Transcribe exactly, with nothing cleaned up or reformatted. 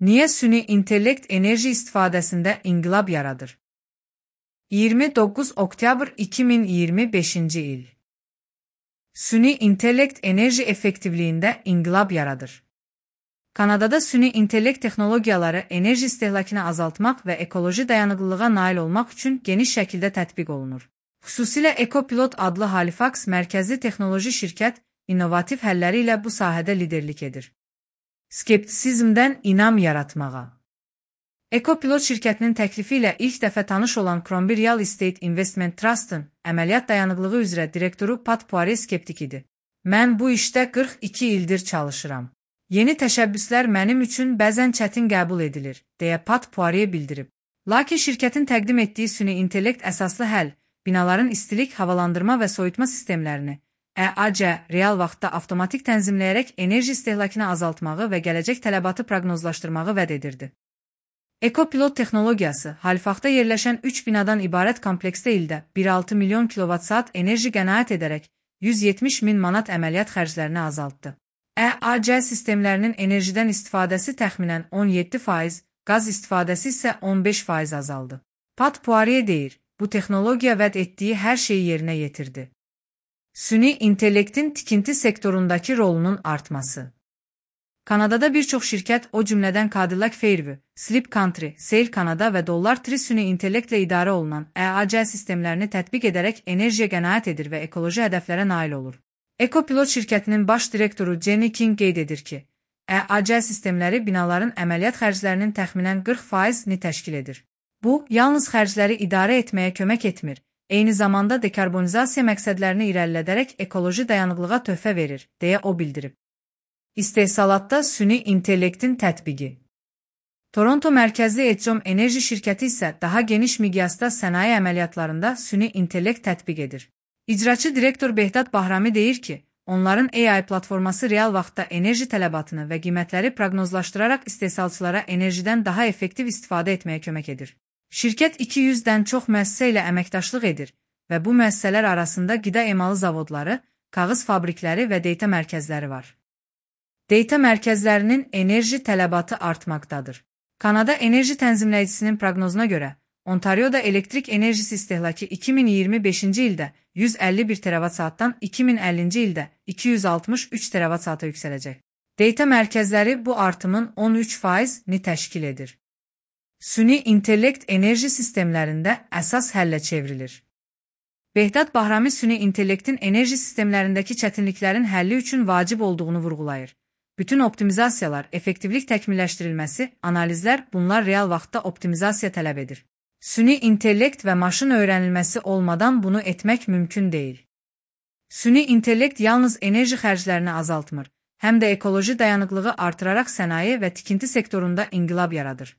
Niyə süni intellekt enerji istifadəsində inqilab yaradır? iyirmi doqquz oktyabr iki min iyirmi beşinci il. Süni intellekt enerji effektivliyində inqilab yaradır. Kanadada süni intellekt texnologiyaları enerji istehlakını azaltmaq və ekoloji dayanıqlılığa nail olmaq üçün geniş şəkildə tətbiq olunur. Xüsusilə EcoPilot adlı Halifax mərkəzli texnoloji şirkət innovativ həlləri ilə bu sahədə liderlik edir. Skeptisizmdən inam yaratmağa. EcoPilot şirkətinin təklifi ilə ilk dəfə tanış olan Crombie Real Estate Investment Trust'ın əməliyyat dayanıqlığı üzrə direktoru Pat Poirier skeptik idi. Mən bu işdə qırx iki ildir çalışıram. Yeni təşəbbüslər mənim üçün bəzən çətin qəbul edilir, deyə Pat Poirier bildirib. Lakin şirkətin təqdim etdiyi süni intellekt əsaslı həll, binaların istilik, havalandırma və soyutma sistemlərini E A C real vaxtda avtomatik tənzimləyərək enerji istehlakını azaltmağı və gələcək tələbatı proqnozlaşdırmağı vəd edirdi. EcoPilot texnologiyası Halifaxda yerləşən üç binadan ibarət kompleksdə ildə bir nöqtə altı milyon kilovat saat enerji qənaət edərək yüz yetmiş min manat əməliyyat xərclərini azaltdı. E A C sistemlərinin enerjidən istifadəsi təxminən on yeddi faiz, qaz istifadəsi isə on beş faiz azaldı. Pat Poirier deyir, bu texnologiya vəd etdiyi hər şeyi yerinə yetirdi. Süni intellektin tikinti sektorundakı rolunun artması. Kanadada bir çox şirkət, o cümlədən Cadillac Fairview, Sleep Country, Sail Canada və Dollar Tree süni intellektlə idarə olunan E A C sistemlərini tətbiq edərək enerjiyə qənaət edir və ekoloji hədəflərə nail olur. EcoPilot şirkətinin baş direktoru Jenny King qeyd edir ki, E A C sistemləri binaların əməliyyat xərclərinin təxminən qırx faizini təşkil edir. Bu, yalnız xərcləri idarə etməyə kömək etmir, eyni zamanda dekarbonizasiya məqsədlərini irəlilədərək ekoloji dayanıqlığa töhfə verir, deyə o bildirib. İstehsalatda süni intellektin tətbiqi. Toronto mərkəzli Edgom enerji şirkəti isə daha geniş miqyasda sənaye əməliyyatlarında süni intellekt tətbiq edir. İcraçı direktor Behdad Bahrami deyir ki, onların A I platforması real vaxtda enerji tələbatını və qiymətləri proqnozlaşdıraraq istehsalçılara enerjidən daha effektiv istifadə etməyə kömək edir. Şirkət iki yüzdən çox müəssisə ilə əməkdaşlıq edir və bu müəssisələr arasında qida emalı zavodları, kağız fabrikləri və data mərkəzləri var. Data mərkəzlərinin enerji tələbatı artmaqdadır. Kanada Enerji Tənzimləyicisinin proqnozuna görə, Ontarioda elektrik enerjisi istehlakı iki min iyirmi beşinci ildə yüz əlli bir teravat saatdan iki min əllinci ildə iki yüz altmış üç teravat saata yüksələcək. Data mərkəzləri bu artımın on üç faizini təşkil edir. Süni intellekt enerji sistemlərində əsas həllə çevrilir. Behdad Bahrami süni intellektin enerji sistemlərindəki çətinliklərin həlli üçün vacib olduğunu vurğulayır. Bütün optimizasiyalar, effektivlik təkmilləşdirilməsi, analizlər, bunlar real vaxtda optimizasiya tələb edir. Süni intellekt və maşın öyrənilməsi olmadan bunu etmək mümkün deyil. Süni intellekt yalnız enerji xərclərini azaltmır, həm də ekoloji dayanıqlığı artıraraq sənaye və tikinti sektorunda inqilab yaradır.